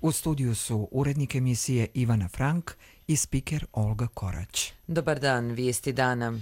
U studiju su urednik emisije Ivana Frank i spiker Olga Korać. Dobar dan, vijesti dana.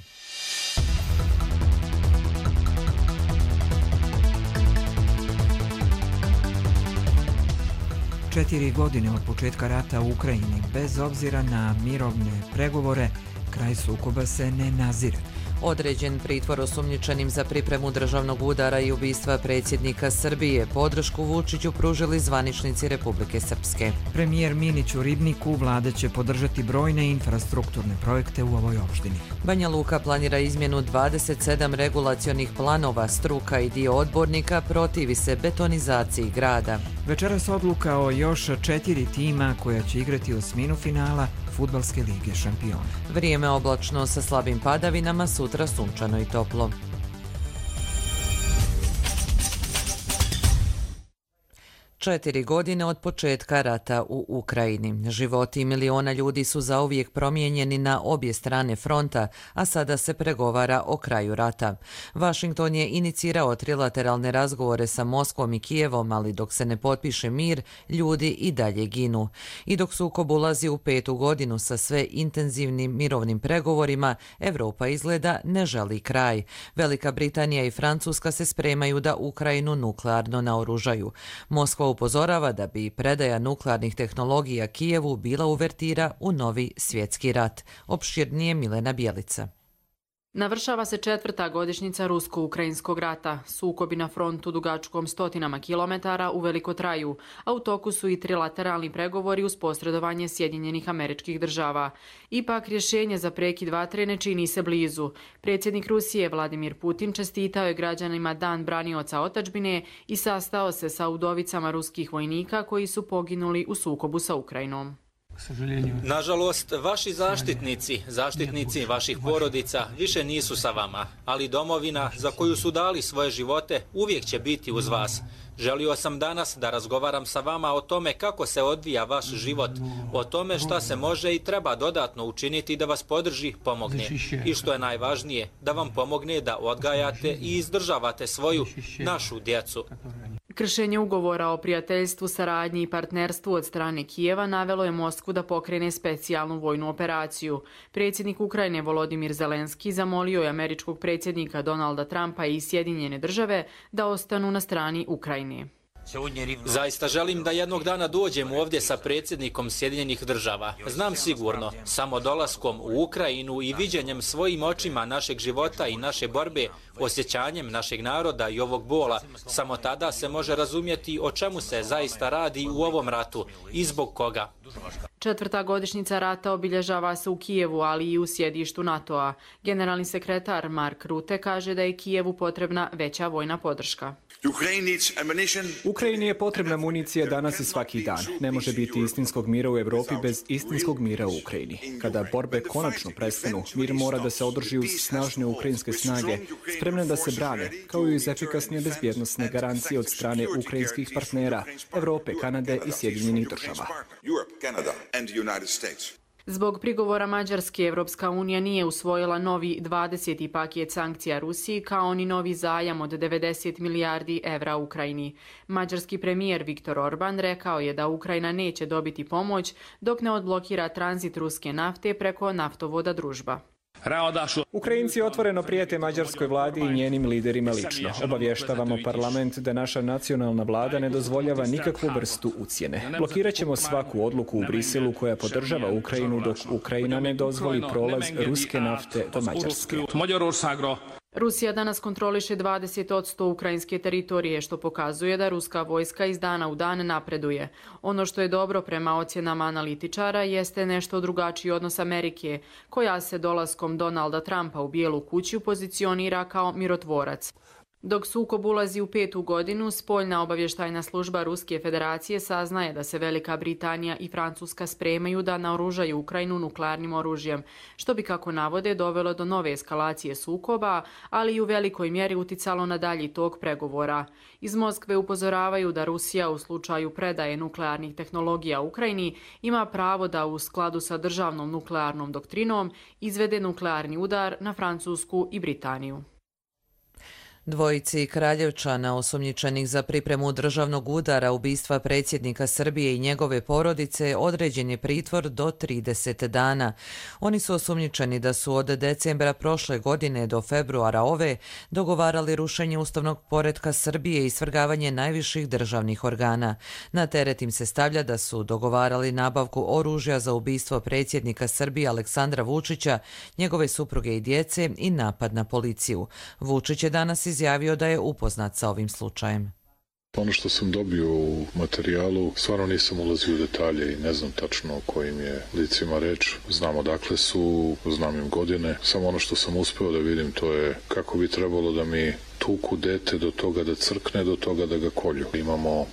Četiri godine od početka rata u Ukrajini, bez obzira na mirovne pregovore, kraj sukoba se ne nazire. Određen pritvor osumnjičenim za pripremu državnog udara i ubistva predsjednika Srbije. Podršku Vučiću pružili zvaničnici Republike Srpske. Premijer Minić u Ribniku vlada će podržati brojne infrastrukturne projekte u ovoj opštini. Banja Luka planira izmjenu 27 regulacionih planova. Struka i dio odbornika protivi se betonizaciji grada. Večeras odluka o još 4 tima koja će igrati osminu finala Fudbalske lige šampiona. Vrijeme oblačno sa slabim padavinama, sutra sunčano i toplo. Četiri godine od početka rata u Ukrajini. Životi miliona ljudi su zauvijek promijenjeni na obje strane fronta, a sada se pregovara o kraju rata. Washington je inicirao trilateralne razgovore sa Moskvom i Kijevom, ali dok se ne potpiše mir, ljudi i dalje ginu. I dok sukob ulazi u 5. godinu sa sve intenzivnim mirovnim pregovorima, Europa izgleda ne želi kraj. Velika Britanija i Francuska se spremaju da Ukrajinu nuklearno naoružaju. Moskva upozorava da bi predaja nuklearnih tehnologija Kijevu bila uvertira u novi svjetski rat. Opširnije Milena Bjelica. Navršava se 4. godišnjica rusko-ukrajinskog rata. Sukobi na frontu dugačkom stotinama kilometara uveliko traju, a u toku su i trilateralni pregovori uz posredovanje Sjedinjenih Američkih Država. Ipak rješenje za prekid vatre ne čini se blizu. Predsjednik Rusije Vladimir Putin čestitao je građanima Dan branioca otadžbine i sastao se sa udovicama ruskih vojnika koji su poginuli u sukobu sa Ukrajinom. Nažalost, vaši zaštitnici vaših porodica više nisu sa vama, ali domovina za koju su dali svoje živote uvijek će biti uz vas. Želio sam danas da razgovaram sa vama o tome kako se odvija vaš život, o tome šta se može i treba dodatno učiniti da vas podrži, pomogne. I što je najvažnije, da vam pomogne da odgajate i izdržavate svoju, našu djecu. Kršenje ugovora o prijateljstvu, saradnji i partnerstvu od strane Kijeva navelo je Moskvu da pokrene specijalnu vojnu operaciju. Predsjednik Ukrajine Volodimir Zelenski zamolio je američkog predsjednika Donalda Trumpa i Sjedinjene države da ostanu na strani Ukrajine. Zaista želim da jednog dana dođem ovdje sa predsjednikom Sjedinjenih država. Znam sigurno, samo dolaskom u Ukrajinu i viđenjem svojim očima našeg života i naše borbe, osjećanjem našeg naroda i ovog bola, samo tada se može razumjeti o čemu se zaista radi u ovom ratu i zbog koga. 4. godišnjica rata obilježava se u Kijevu, ali i u sjedištu NATO-a. Generalni sekretar Mark Rutte kaže da je Kijevu potrebna veća vojna podrška. Ukrajini je potrebna municija danas i svaki dan. Ne može biti istinskog mira u Europi bez istinskog mira u Ukrajini. Kada borbe konačno prestanu, mir mora da se održi uz snažne ukrajinske snage, spremne da se brane, kao i uz efikasne bezbjednosne garancije od strane ukrajinskih partnera, Europe, Kanade i Sjedinjenih država. Zbog prigovora Mađarske, Evropska unija nije usvojila novi 20. paket sankcija Rusiji kao ni novi zajam od 90 milijardi evra Ukrajini. Mađarski premijer Viktor Orban rekao je da Ukrajina neće dobiti pomoć dok ne odblokira tranzit ruske nafte preko naftovoda Družba. Ukrajinci otvoreno prijete mađarskoj vladi i njenim liderima lično. Obavještavamo parlament da naša nacionalna vlada ne dozvoljava nikakvu vrstu ucjene. Blokirat ćemo svaku odluku u Briselu koja podržava Ukrajinu dok Ukrajina ne dozvoli prolaz ruske nafte do Mađarske. Rusija danas kontroliše 20% ukrajinske teritorije, što pokazuje da ruska vojska iz dana u dan napreduje. Ono što je dobro prema ocjenama analitičara jeste nešto drugačiji odnos Amerike, koja se dolaskom Donalda Trumpa u Bijelu kuću pozicionira kao mirotvorac. Dok sukob ulazi u 5. godinu, spoljna obavještajna služba Ruske federacije saznaje da se Velika Britanija i Francuska spremaju da naoružaju Ukrajinu nuklearnim oružjem, što bi, kako navode, dovelo do nove eskalacije sukoba, ali i u velikoj mjeri uticalo na dalji tok pregovora. Iz Moskve upozoravaju da Rusija u slučaju predaje nuklearnih tehnologija Ukrajini ima pravo da u skladu sa državnom nuklearnom doktrinom izvede nuklearni udar na Francusku i Britaniju. Dvojici Kraljevčana osumnjičenih za pripremu državnog udara ubistva predsjednika Srbije i njegove porodice određen je pritvor do 30 dana. Oni su osumnjičeni da su od decembra prošle godine do februara ove dogovarali rušenje ustavnog poretka Srbije i svrgavanje najviših državnih organa. Na teret im se stavlja da su dogovarali nabavku oružja za ubistvo predsjednika Srbije Aleksandra Vučića, njegove supruge i djece i napad na policiju. Vučić je danas izjavio da je upoznat sa ovim slučajem. Ono što sam dobio u materijalu, stvarno nisam ulazio u detalje i ne znam tačno o kojim je licima reč. Znam odakle su, znam im godine. Samo ono što sam uspeo da vidim, to je kako bi trebalo da mi tuku dete do toga da crkne, do toga da ga kolju. Imamo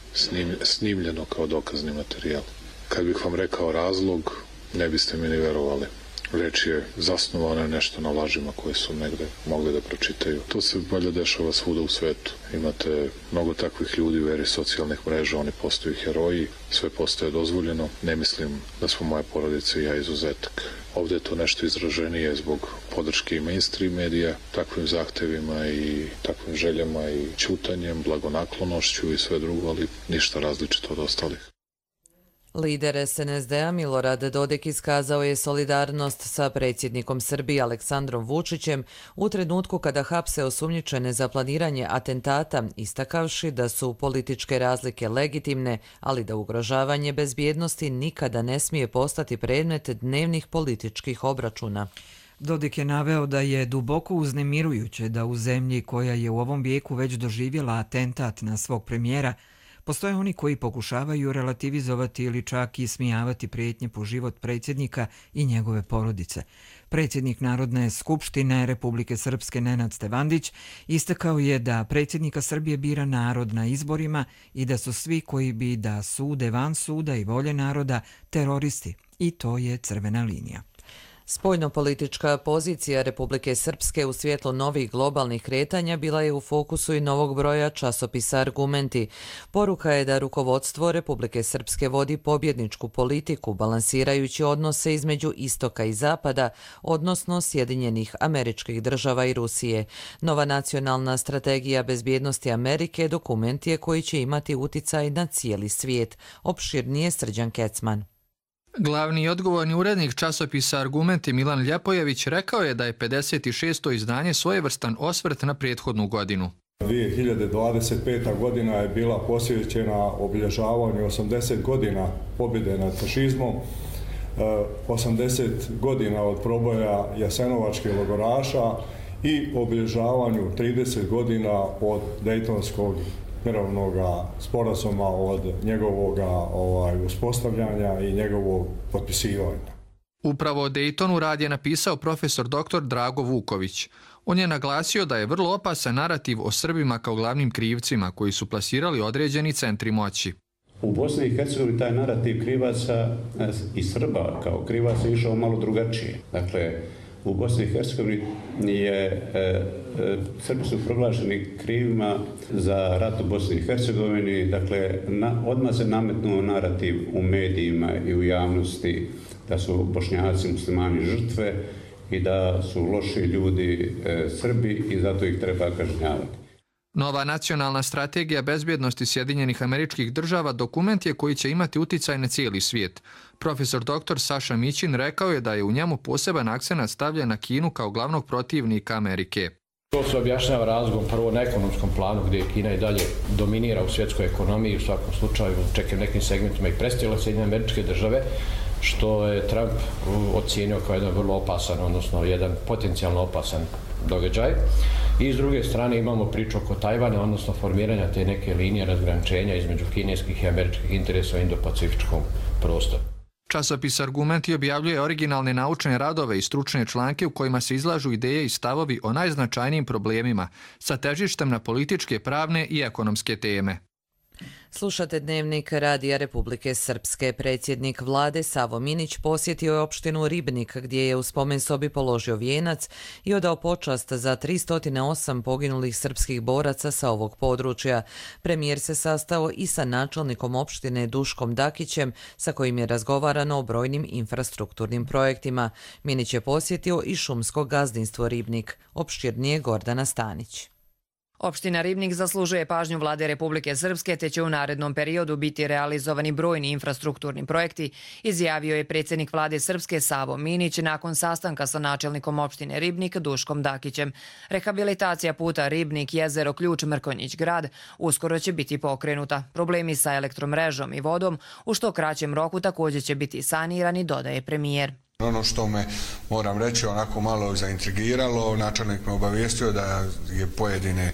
snimljeno kao dokazni materijal. Kad bih vam rekao razlog, ne biste mi ni verovali. Reč je zasnovana nešto na lažima koje su negde mogli da pročitaju. To se valjda dešava svuda u svetu. Imate mnogo takvih ljudi u eri socijalnih mreža, oni postaju heroji, sve postaje dozvoljeno. Ne mislim da smo moja porodica i ja izuzetak. Ovde je to nešto izraženije zbog podrške i mainstream medija, takvim zahtevima i takvim željama i ćutanjem, blagonaklonošću i sve drugo, ali ništa različito od ostalih. Lider SNSD-a Milorad Dodik iskazao je solidarnost sa predsjednikom Srbije Aleksandrom Vučićem u trenutku kada hapse osumnjičene za planiranje atentata, istakavši da su političke razlike legitimne, ali da ugrožavanje bezbjednosti nikada ne smije postati predmet dnevnih političkih obračuna. Dodik je naveo da je duboko uznemirujuće da u zemlji koja je u ovom vijeku već doživjela atentat na svog premijera, postoje oni koji pokušavaju relativizovati ili čak ismijavati prijetnje po život predsjednika i njegove porodice. Predsjednik Narodne skupštine Republike Srpske Nenad Stevandić istakao je da predsjednika Srbije bira narod na izborima i da su svi koji bi da sude van suda i volje naroda teroristi. I to je crvena linija. Spoljnopolitička pozicija Republike Srpske u svjetlu novih globalnih kretanja bila je u fokusu i novog broja časopisa Argumenti. Poruka je da rukovodstvo Republike Srpske vodi pobjedničku politiku, balansirajući odnose između istoka i zapada, odnosno Sjedinjenih Američkih Država i Rusije. Nova nacionalna strategija bezbjednosti Amerike dokument je koji će imati uticaj na cijeli svijet. Opširnije Srđan Kecman. Glavni i odgovorni urednik časopisa Argumenti Milan Ljepojević rekao je da je 56. izdanje svojevrstan osvrt na prethodnu godinu. 2025. godina je bila posvećena obilježavanju 80 godina pobjede nad fašizmom, 80 godina od proboja jasenovačkih logoraša i obilježavanju 30 godina od Dejtonskog mirovnog sporazuma, od njegovog uspostavljanja i njegovog potpisivanja. Upravo o Dejtonu rad je napisao profesor dr. Drago Vuković. On je naglasio da je vrlo opasan narativ o Srbima kao glavnim krivcima koji su plasirali određeni centri moći. U Bosni i Hercegovini taj narativ krivaca i Srba kao krivaca išao malo drugačije. Dakle, u Bosni i Hercegovini Srbi su proglašeni krivima za rat u Bosni i Hercegovini. Dakle, odmah se nametnuo narativ u medijima i u javnosti da su Bošnjaci muslimani žrtve i da su loši ljudi Srbi i zato ih treba kažnjavati. Nova nacionalna strategija bezbjednosti Sjedinjenih Američkih Država dokument je koji će imati uticaj na cijeli svijet. Profesor dr. Saša Mićin rekao je da je u njemu poseban akcenat stavljen na Kinu kao glavnog protivnika Amerike. To se objašnjava razlogom prvo na ekonomskom planu gdje Kina i dalje dominira u svjetskoj ekonomiji, u svakom slučaju čak i nekim segmentima i prestigla Sjedinjene Američke Države, što je Trump ocijenio kao jedan vrlo opasan, odnosno jedan potencijalno opasan događaj. I s druge strane imamo priču oko Tajvana, odnosno formiranja te neke linije razgraničenja između kineskih i američkih interesa u Indo-Pacifičkom prostoru. Časopis Argumenti objavljuje originalne naučne radove i stručne članke u kojima se izlažu ideje i stavovi o najznačajnijim problemima sa težištem na političke, pravne i ekonomske teme. Slušate Dnevnik Radija Republike Srpske. Predsjednik vlade Savo Minić posjetio je opštinu Ribnik gdje je u spomen sobi položio vijenac i odao počast za 308 poginulih srpskih boraca sa ovog područja. Premijer se sastao i sa načelnikom opštine Duškom Dakićem sa kojim je razgovarano o brojnim infrastrukturnim projektima. Minić je posjetio i šumsko gazdinstvo Ribnik. Opširnije Gordana Stanić. Opština Ribnik zaslužuje pažnju Vlade Republike Srpske te će u narednom periodu biti realizovani brojni infrastrukturni projekti, izjavio je predsjednik Vlade Srpske Savo Minić nakon sastanka sa načelnikom opštine Ribnik Duškom Dakićem. Rehabilitacija puta Ribnik-Jezero Ključ-Mrkonjić grad uskoro će biti pokrenuta. Problemi sa elektromrežom i vodom u što kraćem roku također će biti sanirani, dodaje premijer. Ono što me, moram reći, onako malo zaintrigiralo, načelnik me obavijestio da je pojedine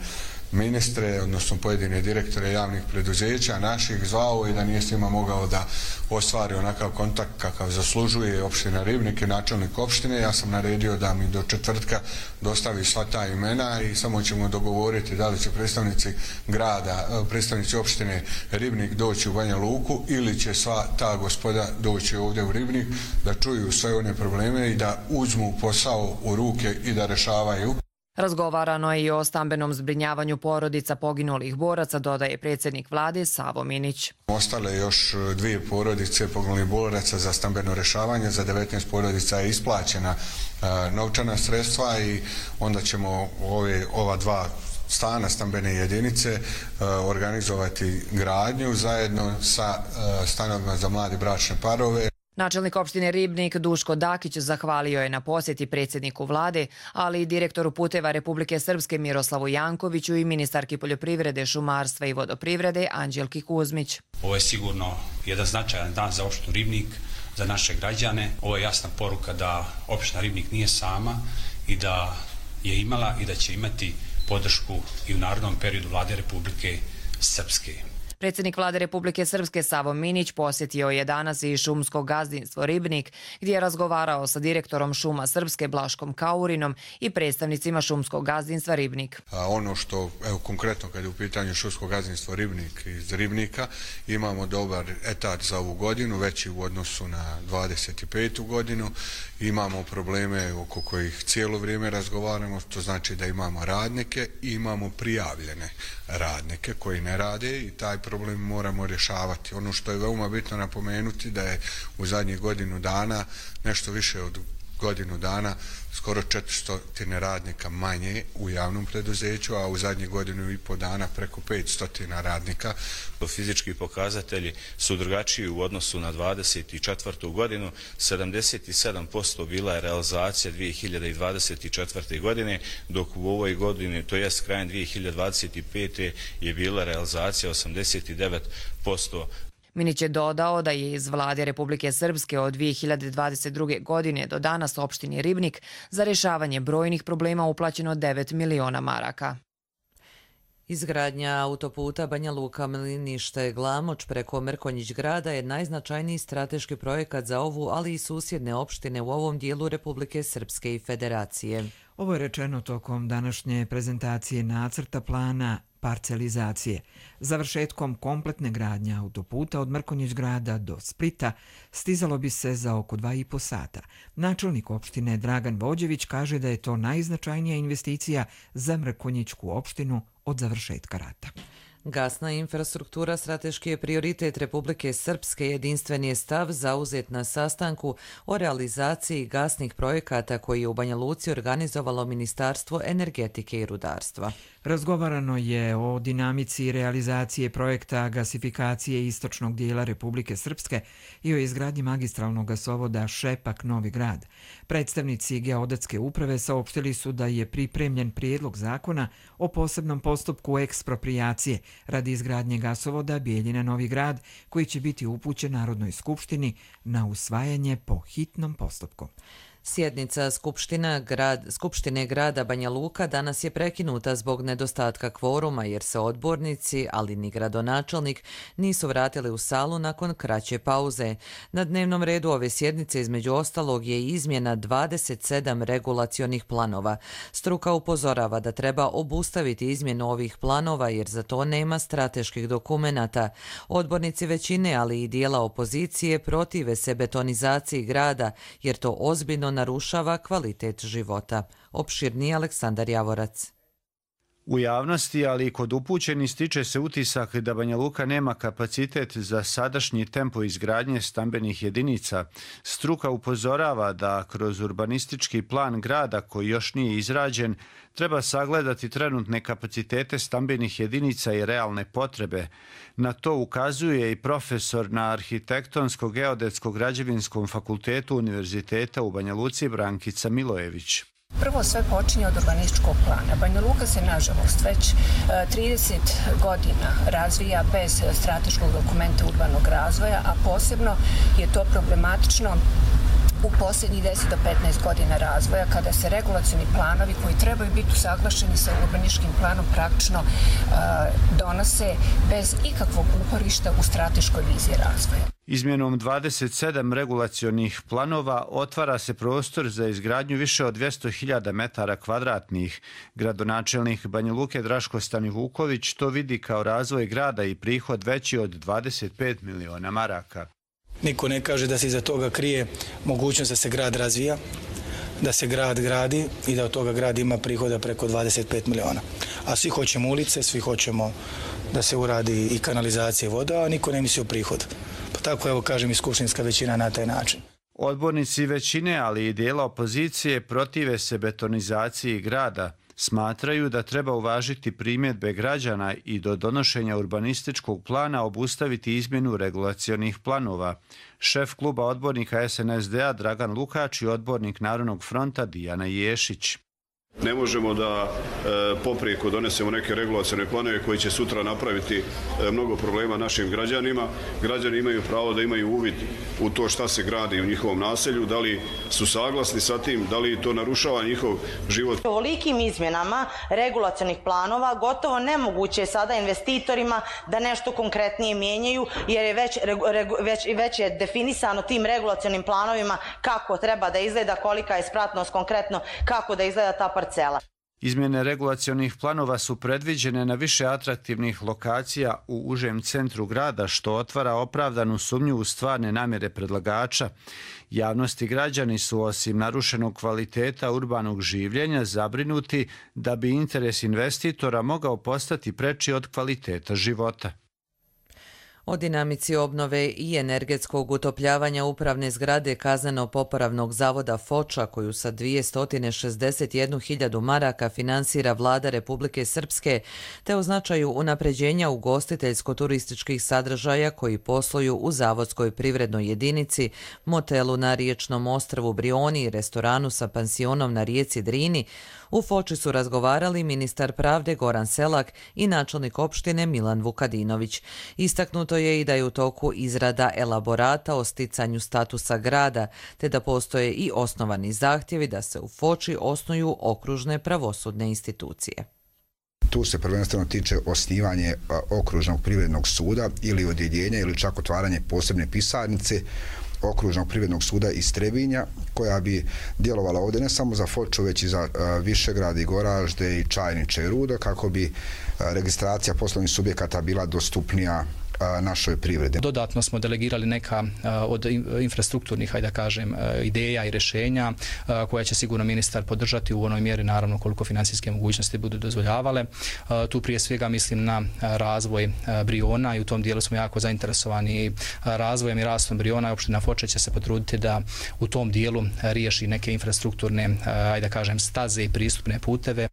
ministre, odnosno pojedine direktore javnih preduzeća naših zvao i da nije s njima mogao da ostvari onakav kontakt kakav zaslužuje opština Ribnik i načelnik opštine. Ja sam naredio da mi do četvrtka dostavi sva ta imena i samo ćemo dogovoriti da li će predstavnici grada, predstavnici opštine Ribnik doći u Banja Luku ili će sva ta gospoda doći ovdje u Ribnik da čuju sve one probleme i da uzmu posao u ruke i da rešavaju. Razgovarano je i o stambenom zbrinjavanju porodica poginulih boraca, dodaje predsjednik Vlade Savo Minić. Ostale još 2 porodice poginulih boraca za stambeno rešavanje, za 19 porodica je isplaćena novčana sredstva i onda ćemo ova 2 stana stambene jedinice organizovati gradnju zajedno sa stanovima za mlade bračne parove. Načelnik opštine Ribnik Duško Dakić zahvalio je na posjeti predsjedniku Vlade, ali i direktoru puteva Republike Srpske Miroslavu Jankoviću i ministarki poljoprivrede, šumarstva i vodoprivrede Anđelki Kuzmić. Ovo je sigurno jedan značajan dan za opštinu Ribnik, za naše građane. Ovo je jasna poruka da opština Ribnik nije sama i da je imala i da će imati podršku i u narednom periodu Vlade Republike Srpske. Predsjednik Vlade Republike Srpske Savo Minić posjetio je danas i šumsko gazdinstvo Ribnik, gdje je razgovarao sa direktorom Šuma Srpske Blaškom Kaurinom i predstavnicima šumskog gazdinstva Ribnik. Ono što, evo konkretno kad je u pitanju šumsko gazdinstvo Ribnik iz Ribnika, imamo dobar etat za ovu godinu, veći u odnosu na 25. godinu. Imamo probleme oko kojih cijelo vrijeme razgovaramo, to znači da imamo radnike i imamo prijavljene radnike koji ne rade i taj problem moramo rješavati. Ono što je veoma bitno napomenuti da je u zadnjih godinu dana, nešto više od godinu dana, skoro 400 radnika manje u javnom preduzeću, a u zadnjih godinu i po dana preko 500 radnika. Fizički pokazatelji su drugačiji u odnosu na 24. godinu. 77% bila je realizacija 2024. godine, dok u ovoj godini, to jest krajem 2025. je bila realizacija 89%. Minić je dodao da je iz Vlade Republike Srpske od 2022. godine do danas opštini Ribnik za rješavanje brojnih problema uplaćeno 9 miliona maraka. Izgradnja autoputa Banja Luka-Mlinište-Glamoč preko Mrkonjić grada je najznačajniji strateški projekat za ovu, ali i susjedne opštine u ovom dijelu Republike Srpske i Federacije. Ovo je rečeno tokom današnje prezentacije nacrta plana parcelizacije. Završetkom kompletne gradnje autoputa od Mrkonjić grada do Splita stizalo bi se za oko 2,5 sata. Načelnik opštine Dragan Vođević kaže da je to najznačajnija investicija za Mrkonjićku opštinu od završetka rata. Gasna infrastruktura strateški je prioritet Republike Srpske, jedinstven je stav zauzet na sastanku o realizaciji gasnih projekata koji je u Banja Luci organizovalo Ministarstvo energetike i rudarstva. Razgovarano je o dinamici realizacije projekta gasifikacije istočnog dijela Republike Srpske i o izgradnji magistralnog gasovoda Šepak-Novi Grad. Predstavnici geodetske uprave saopštili su da je pripremljen prijedlog zakona o posebnom postupku eksproprijacije radi izgradnje gasovoda Bijeljina-Novi Grad, koji će biti upućen Narodnoj skupštini na usvajanje po hitnom postupku. Sjednica Skupštine grada Banja Luka danas je prekinuta zbog nedostatka kvoruma jer se odbornici, ali ni gradonačelnik, nisu vratili u salu nakon kraće pauze. Na dnevnom redu ove sjednice između ostalog je izmjena 27 regulacionih planova. Struka upozorava da treba obustaviti izmjenu ovih planova jer za to nema strateških dokumenata. Odbornici većine, ali i dijela opozicije protive se betonizaciji grada jer to ozbiljno narušava kvalitet života. Opširniji Aleksandar Javorac. U javnosti, ali i kod upućenih, stiče se utisak da Banja Luka nema kapacitet za sadašnji tempo izgradnje stambenih jedinica. Struka upozorava da kroz urbanistički plan grada, koji još nije izrađen, treba sagledati trenutne kapacitete stambenih jedinica i realne potrebe. Na to ukazuje i profesor na Arhitektonsko-geodetsko-građevinskom fakultetu Univerziteta u Banja Luci Brankica Milojević. Prvo sve počinje od urbanističkog plana. Banja Luka se, nažalost, već 30 godina razvija bez strateškog dokumenta urbanog razvoja, a posebno je to problematično u posljednjih 10 do 15 godina razvoja, kada se regulacioni planovi koji trebaju biti usaglašeni sa urbanističkim planom praktično donose bez ikakvog uporišta u strateškoj viziji razvoja. Izmjenom 27 regulacionih planova otvara se prostor za izgradnju više od 200.000 metara kvadratnih. Gradonačelnik Banja Luke Draško Stanivuković to vidi kao razvoj grada i prihod veći od 25 miliona maraka. Niko ne kaže da se iza toga krije mogućnost da se grad razvija, da se grad gradi i da od toga grad ima prihoda preko 25 miliona. A svi hoćemo ulice, svi hoćemo da se uradi i kanalizacija i voda, a niko ne misli o prihodu. Pa tako, evo kažem, i skupštinska većina na taj način. Odbornici većine, ali i dijela opozicije protive se betonizaciji grada. Smatraju da treba uvažiti primjedbe građana i do donošenja urbanističkog plana obustaviti izmjenu regulacionih planova. Šef kluba odbornika SNSD-a Dragan Lukač i odbornik Narodnog fronta Dijana Ješić. Ne možemo da poprijeko donesemo neke regulacione planove koji će sutra napraviti mnogo problema našim građanima. Građani imaju pravo da imaju uvid u to šta se gradi u njihovom naselju, da li su saglasni sa tim, da li to narušava njihov život. Ovolikim izmjenama regulacionih planova gotovo nemoguće je sada investitorima da nešto konkretnije mijenjaju, jer je već je definisano tim regulacionim planovima kako treba da izgleda, kolika je spratnost konkretno, kako da izgleda ta parcela. Izmjene regulacionih planova su predviđene na više atraktivnih lokacija u užem centru grada, što otvara opravdanu sumnju u stvarne namjere predlagača. Javnost i građani su, osim narušenog kvaliteta urbanog življenja, zabrinuti da bi interes investitora mogao postati preči od kvaliteta života. O dinamici obnove i energetskog utopljavanja upravne zgrade Kazneno-popravnog zavoda Foča, koju sa 261.000 maraka finansira vlada Republike Srpske, te o značaju unapređenja ugostiteljsko-turističkih sadržaja koji posluju u zavodskoj privrednoj jedinici, motelu na riječnom ostrvu Brioni i restoranu sa pansionom na rijeci Drini, u Foči su razgovarali ministar pravde Goran Selak i načelnik opštine Milan Vukadinović. Istaknuto je i da je u toku izrada elaborata o sticanju statusa grada, te da postoje i osnovani zahtjevi da se u Foči osnuju okružne pravosudne institucije. Tu se prvenstveno tiče osnivanje okružnog privrednog suda ili odjeljenja ili čak otvaranje posebne pisarnice okružnog privrednog suda iz Trebinja, koja bi djelovala ovdje ne samo za Foču, već i za Višegrad i Goražde i Čajniče i Rudo, kako bi registracija poslovnih subjekata bila dostupnija našoj privredi. Dodatno smo delegirali neka od infrastrukturnih, hajde da kažem, ideja i rješenja koja će sigurno ministar podržati u onoj mjeri, naravno koliko financijske mogućnosti budu dozvoljavale. Tu prije svega mislim na razvoj Briona i u tom dijelu smo jako zainteresovani razvojem i rastom Briona. Opština Foča će se potruditi da u tom dijelu riješi neke infrastrukturne, hajde da kažem, staze i pristupne puteve.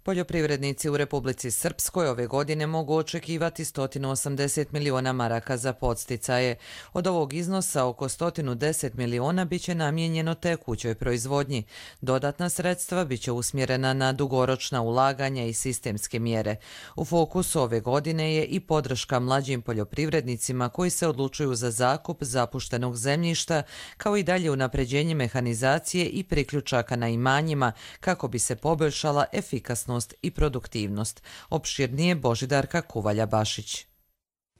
Poljoprivrednici u Republici Srpskoj ove godine mogu očekivati 180 miliona maraka za podsticaje. Od ovog iznosa oko 110 miliona biće namijenjeno tekućoj proizvodnji. Dodatna sredstva biće usmjerena na dugoročna ulaganja i sistemske mjere. U fokusu ove godine je i podrška mlađim poljoprivrednicima koji se odlučuju za zakup zapuštenog zemljišta, kao i dalje unapređenje mehanizacije i priključaka na imanjima kako bi se poboljšala efikasnost i produktivnost. Opširnije Božidarka Kuvalja-Bašić.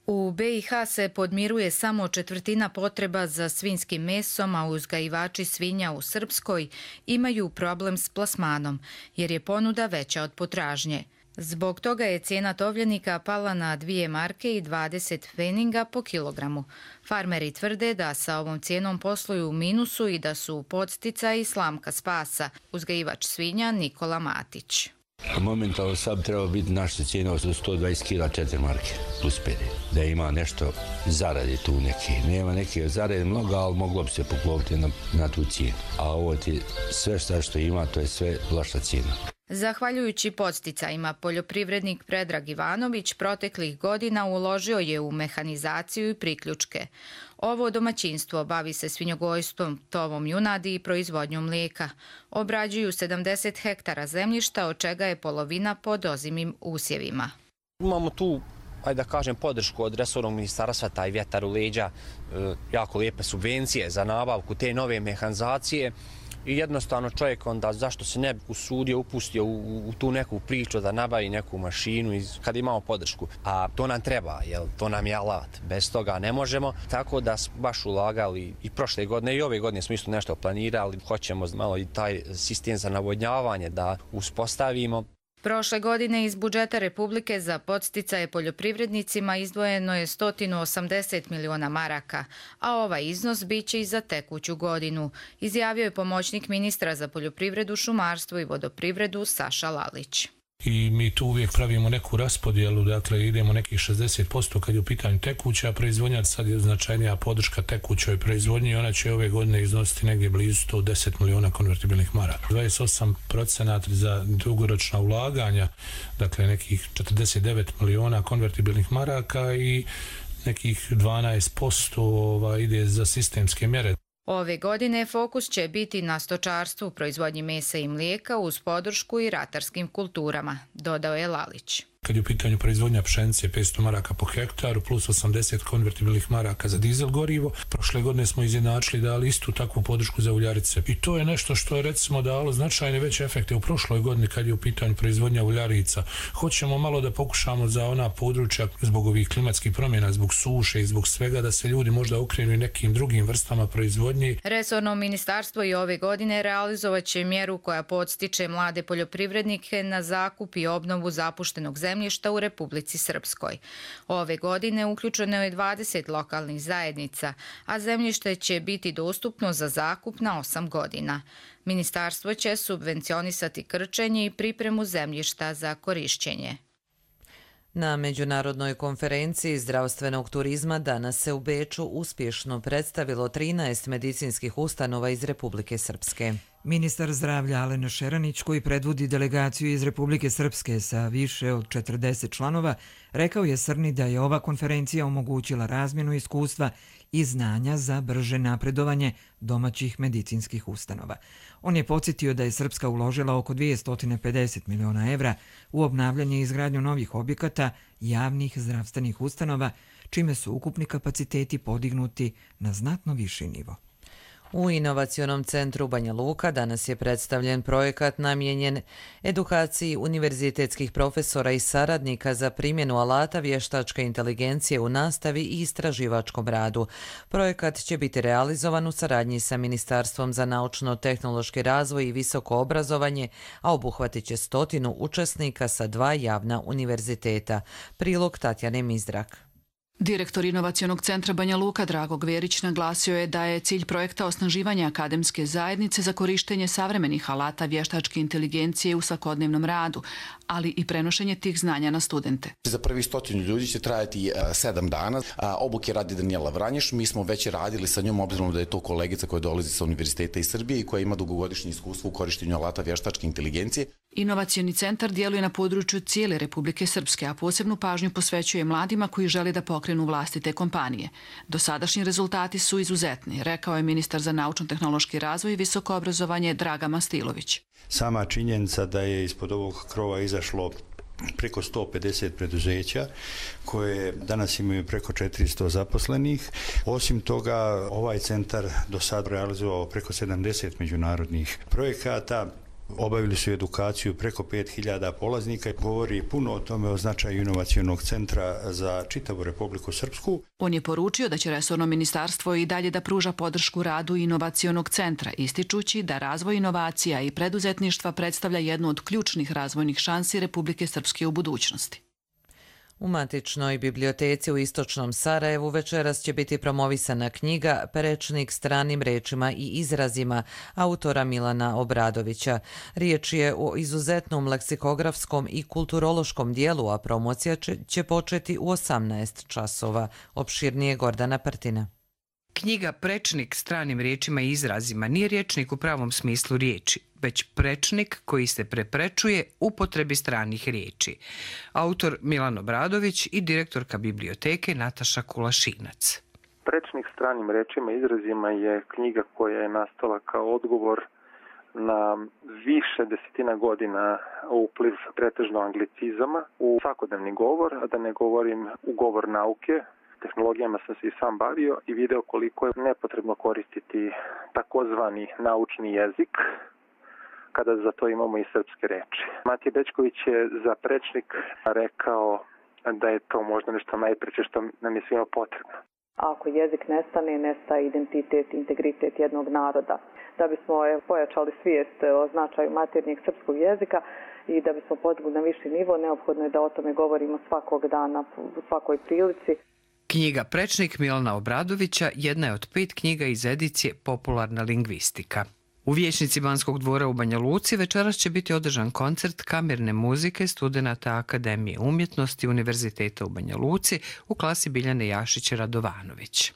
U BiH se podmiruje samo 1/4 potreba za svinjskim mesom, a uzgajivači svinja u Srpskoj imaju problem s plasmanom, jer je ponuda veća od potražnje. Zbog toga je cijena tovljenika pala na 2 marke i 20 pfeninga po kilogramu. Farmeri tvrde da sa ovom cijenom posluju u minusu i da su podsticaji slamka spasa. Uzgajivač svinja Nikola Matić. Momentalno sad treba biti naša cijena od 120 kila 4 marke plus PD. Da ima nešto zarade tu neke. Nema neke zarade mnogo, ali moglo bi se poklopiti na tu cijenu. A ovo ti sve što ima, to je sve loša cijena. Zahvaljujući podsticajima, poljoprivrednik Predrag Ivanović proteklih godina uložio je u mehanizaciju i priključke. Ovo domaćinstvo bavi se svinjogojstvom, tovom junadi i proizvodnjom mlijeka. Obrađuju 70 hektara zemljišta, od čega je polovina pod ozimim usjevima. Imamo tu, da kažem, podršku od resornog ministarstva, taj vjetar u leđa, jako lijepe subvencije za nabavku te nove mehanizacije. I jednostavno čovjek onda zašto se ne bi usudio, upustio u tu neku priču da nabavi neku mašinu kad imamo podršku. A to nam treba, to nam je alat. Bez toga ne možemo. Tako da smo baš ulagali i prošle godine i ove godine smo isto nešto planirali. Hoćemo malo i taj sistem za navodnjavanje da uspostavimo. Prošle godine iz budžeta Republike za podsticaje poljoprivrednicima izdvojeno je 180 miliona maraka, a ovaj iznos biće i za tekuću godinu, izjavio je pomoćnik ministra za poljoprivredu, šumarstvo i vodoprivredu Saša Lalić. I mi tu uvijek pravimo neku raspodjelu, dakle idemo nekih 60% kad je u pitanju tekuća proizvodnja, sad je značajnija podrška tekućoj proizvodnji i ona će ove godine iznositi negdje blizu 110 miliona konvertibilnih maraka. 28% za dugoročna ulaganja, dakle nekih 49 miliona konvertibilnih maraka i nekih 12% ide za sistemske mjere. Ove godine fokus će biti na stočarstvu, proizvodnji mesa i mlijeka uz podršku i ratarskim kulturama, dodao je Lalić. Kad je u pitanju proizvodnja pšenice 500 maraka po hektaru plus 80 konvertibilnih maraka za dizel gorivo, prošle godine smo izjednačili dali istu takvu podršku za uljarice. I to je nešto što je recimo dalo značajne veće efekte u prošloj godini kad je u pitanju proizvodnja uljarica. Hoćemo malo da pokušamo za ona područja zbog ovih klimatskih promjena, zbog suše i zbog svega da se ljudi možda okrenu nekim drugim vrstama proizvodnje. Resorno ministarstvo i ove godine realizovat će mjeru koja podstiče mlade poljoprivrednike na zakup i obnovu zapuštenog zemljišta u Republici Srpskoj. Ove godine uključeno je 20 lokalnih zajednica, a zemljište će biti dostupno za zakup na 8 godina. Ministarstvo će subvencionisati krčenje i pripremu zemljišta za korišćenje. Na međunarodnoj konferenciji zdravstvenog turizma danas se u Beču uspješno predstavilo 13 medicinskih ustanova iz Republike Srpske. Ministar zdravlja Alen Šeranić, koji predvodi delegaciju iz Republike Srpske sa više od 40 članova, rekao je Srni da je ova konferencija omogućila razmjenu iskustva i znanja za brže napredovanje domaćih medicinskih ustanova. On je podsjetio da je Srpska uložila oko 250 miliona evra u obnavljanje i izgradnju novih objekata javnih zdravstvenih ustanova, čime su ukupni kapaciteti podignuti na znatno viši nivo. U Inovacionom centru Banja Luka danas je predstavljen projekat namijenjen edukaciji univerzitetskih profesora i saradnika za primjenu alata vještačke inteligencije u nastavi i istraživačkom radu. Projekat će biti realizovan u saradnji sa Ministarstvom za naučno-tehnološki razvoj i visoko obrazovanje, a obuhvatit će 100 učesnika sa 2 javna univerziteta. Prilog Tatjane Mizdrak. Direktor Inovacionog centra Banja Luka Drago Gverić naglasio je da je cilj projekta osnaživanje akademske zajednice za korištenje savremenih alata vještačke inteligencije u svakodnevnom radu, ali i prenošenje tih znanja na studente. Za prvi 100 ljudi će trajati 7 dana. Obuke radi Danijela Vranješ. Mi smo već radili sa njom, obzirom da je to kolegica koja dolazi sa univerziteta iz Srbije i koja ima dugogodišnje iskustvo u korištenju alata vještačke inteligencije. Inovacioni centar djeluje na području cijele Republike Srpske, a posebnu pažnju posvećuje mladima koji žele da pokrenu vlastite kompanije. Dosadašnji rezultati su izuzetni, rekao je ministar za naučno-tehnološki razvoj i visoko obrazovanje Draga Mastilović. Sama činjenica da je ispod ovog krova izašlo preko 150 preduzeća koje danas imaju preko 400 zaposlenih. Osim toga, ovaj centar do sad realizovao preko 70 međunarodnih projekata Obavili su edukaciju preko 5000 polaznika i govori puno o tome o značaju inovacionog centra za čitavu Republiku Srpsku. On je poručio da će resorno ministarstvo i dalje da pruža podršku radu inovacionog centra, ističući da razvoj inovacija i preduzetništva predstavlja jednu od ključnih razvojnih šansi Republike Srpske u budućnosti. U matičnoj biblioteci u istočnom Sarajevu večeras će biti promovisana knjiga Prečnik stranim rečima i izrazima autora Milana Obradovića. Riječ je o izuzetnom leksikografskom i kulturološkom dijelu, a promocija će početi u 18 časova. Opširnije Gordana Partina. Knjiga Prečnik stranim riječima i izrazima nije rječnik u pravom smislu riječi, već prečnik koji se preprečuje upotrebi stranih riječi. Autor Milan Obradović i direktorka biblioteke Nataša Kulašinac. Prečnik stranim rečima i izrazima je knjiga koja je nastala kao odgovor na više desetina godina upliv pretežno anglicizama u svakodnevni govor, a da ne govorim u govor nauke. Tehnologijama sam se i sam bavio i video koliko je nepotrebno koristiti takozvani naučni jezik kada za to imamo i srpske reči. Matija Bećković je za prečnik rekao da je to možda nešto najpreče što nam je svima potrebno. Ako jezik nestane, nestaje identitet, integritet jednog naroda. Da bismo pojačali svijest o značaju maternjeg srpskog jezika i da bismo podigli na viši nivo, neophodno je da o tome govorimo svakog dana, u svakoj prilici. Knjiga Prečnik Milana Obradovića jedna je od 5 knjiga iz edicije Popularna lingvistika. U vijećnici Banskog dvora u Banja Luci večeras će biti održan koncert kamerne muzike studenata Akademije umjetnosti Univerziteta u Banja Luci u klasi Biljane Jašić-Radovanović.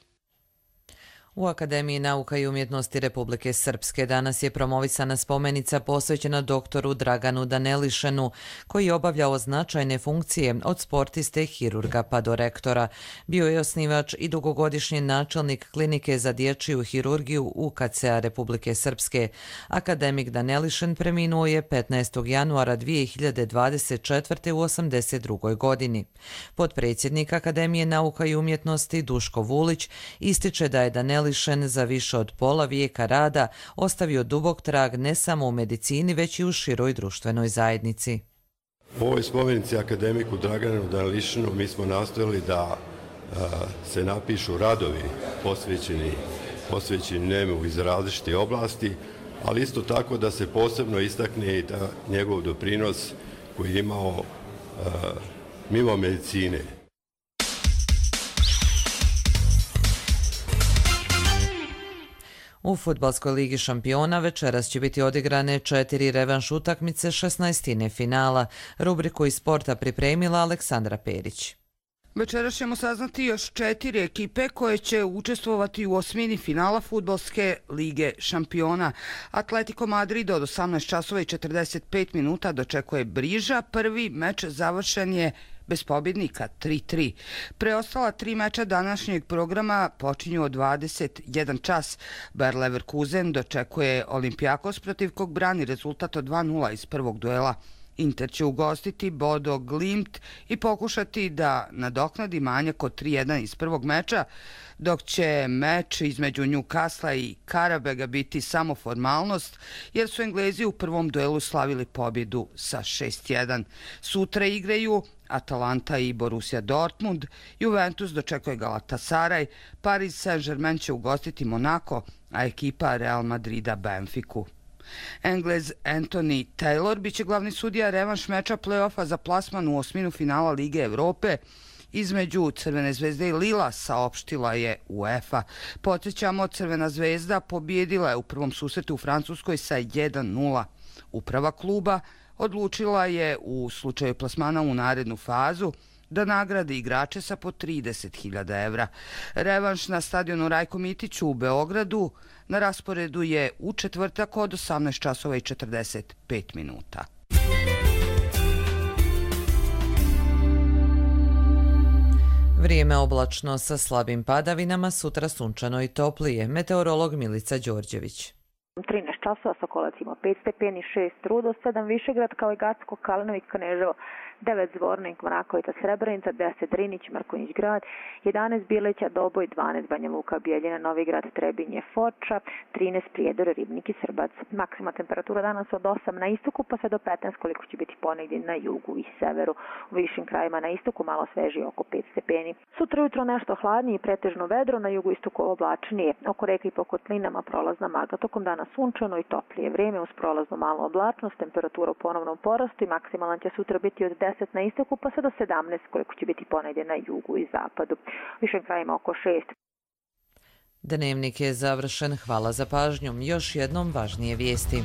U Akademiji nauka i umjetnosti Republike Srpske danas je promovisana spomenica posvećena doktoru Draganu Danelišenu, koji je obavljao značajne funkcije od sportiste, hirurga pa do rektora. Bio je osnivač i dugogodišnji načelnik klinike za dječju hirurgiju UKC-a Republike Srpske. Akademik Danelišen preminuo je 15. januara 2024. u 82. godini. Potpredsjednik Akademije nauka i umjetnosti Duško Vulić ističe da je Danelišen za više od pola vijeka rada ostavio dubok trag ne samo u medicini, već i u široj društvenoj zajednici. U ovoj spomenici akademiku Draganu Danelišenu mi smo nastojali da se napišu radovi posvećeni njemu iz različite oblasti, ali isto tako da se posebno istakne i da njegov doprinos koji je imao mimo medicine. U Fudbalskoj ligi šampiona večeras će biti odigrane 4 revanš utakmice 16. finala. Rubriku iz sporta pripremila Aleksandra Perić. Večeras ćemo saznati još 4 ekipe koje će učestvovati u osmini finala Fudbalske lige šampiona. Atletico Madrid od 18 časova i 45 minuta dočekuje Briža. Prvi meč završen je bez pobjednika 3-3. Preostala 3 meča današnjeg programa počinju od 21 čas. Bayer Leverkusen dočekuje Olympiakos protiv kog brani rezultat od 2-0 iz prvog duela. Inter će ugostiti Bodo Glimt i pokušati da nadoknadi manjak od 3-1 iz prvog meča, dok će meč između Newcastle i Karabega biti samo formalnost, jer su Englezi u prvom duelu slavili pobjedu sa 6-1. Sutra igraju Atalanta i Borussia Dortmund, Juventus dočekuje Galatasaray, Paris Saint-Germain će ugostiti Monaco, a ekipa Real Madrida Benfiku. Englez Anthony Taylor biće glavni sudija revanš meča play-offa za plasman u osminu finala Lige Evrope između Crvene zvezde i Lila, saopštila je UEFA. Podsjećamo, Crvena zvezda pobjedila je u prvom susretu u Francuskoj sa 1-0. Uprava kluba odlučila je u slučaju plasmana u narednu fazu da nagrade igrače sa po 30.000 evra. Revanš na stadionu Rajko Mitiću u Beogradu na rasporedu je u četvrtak od 18 časova i 45 minuta. Vrijeme oblačno sa slabim padavinama, sutra sunčano i toplije. Meteorolog Milica Đorđević. 13 časova Sokolac ima 5 stepeni, 6 Rudo, 7 Višegrad, kao i Gacko, Kalinović, Kneževo, 9 Zvornik, Mrakovica, Srebrenica, 10 Drinić, Mrkonjić Grad, 11 Bileća, Doboj, 12 Banja Luka, Bijeljina, Novi Grad, Trebinje, Foča, 13 Prijedor, Ribnik i Srbac. Maksima temperatura danas od 8 na istoku pa sve do 15 koliko će biti ponegdje na jugu i severu. U višim krajima na istoku malo svežije oko 5 stepeni. Sutra jutro nešto hladnije i pretežno vedro, na jugu istoku oblačnije. Oko reke i po kotlinama prolazna magla. Tokom dana sunčano i toplije vreme uz prolaznu malu oblačnost, temperatura u ponovnom porastu i maksimalan će sutra biti od 10 na istoku pa sve do 17 koliko će biti ponegdje na jugu i zapadu. U višim krajima oko 6. Dnevnik je završen. Hvala za pažnju. Još jednom važnije vijesti.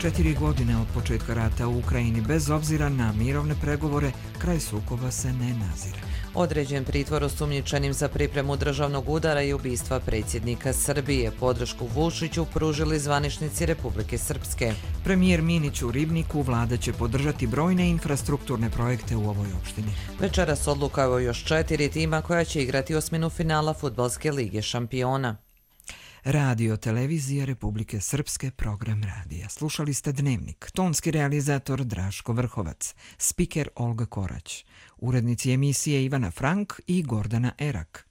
4 godine od početka rata u Ukrajini, bez obzira na mirovne pregovore, kraj sukoba se ne nazire. Određen pritvor osumnjičenim za pripremu državnog udara i ubistva predsjednika Srbije. Podršku Vučiću pružili zvaničnici Republike Srpske. Premijer Minić u Ribniku, vlada će podržati brojne infrastrukturne projekte u ovoj opštini. Večeras odluka o još 4 tima koja će igrati osminu finala Fudbalske lige šampiona. Radio Televizija Republike Srpske, program radija. Slušali ste Dnevnik. Tonski realizator Draško Vrhovac, spiker Olga Korać, urednici emisije Ivana Frank i Gordana Erak.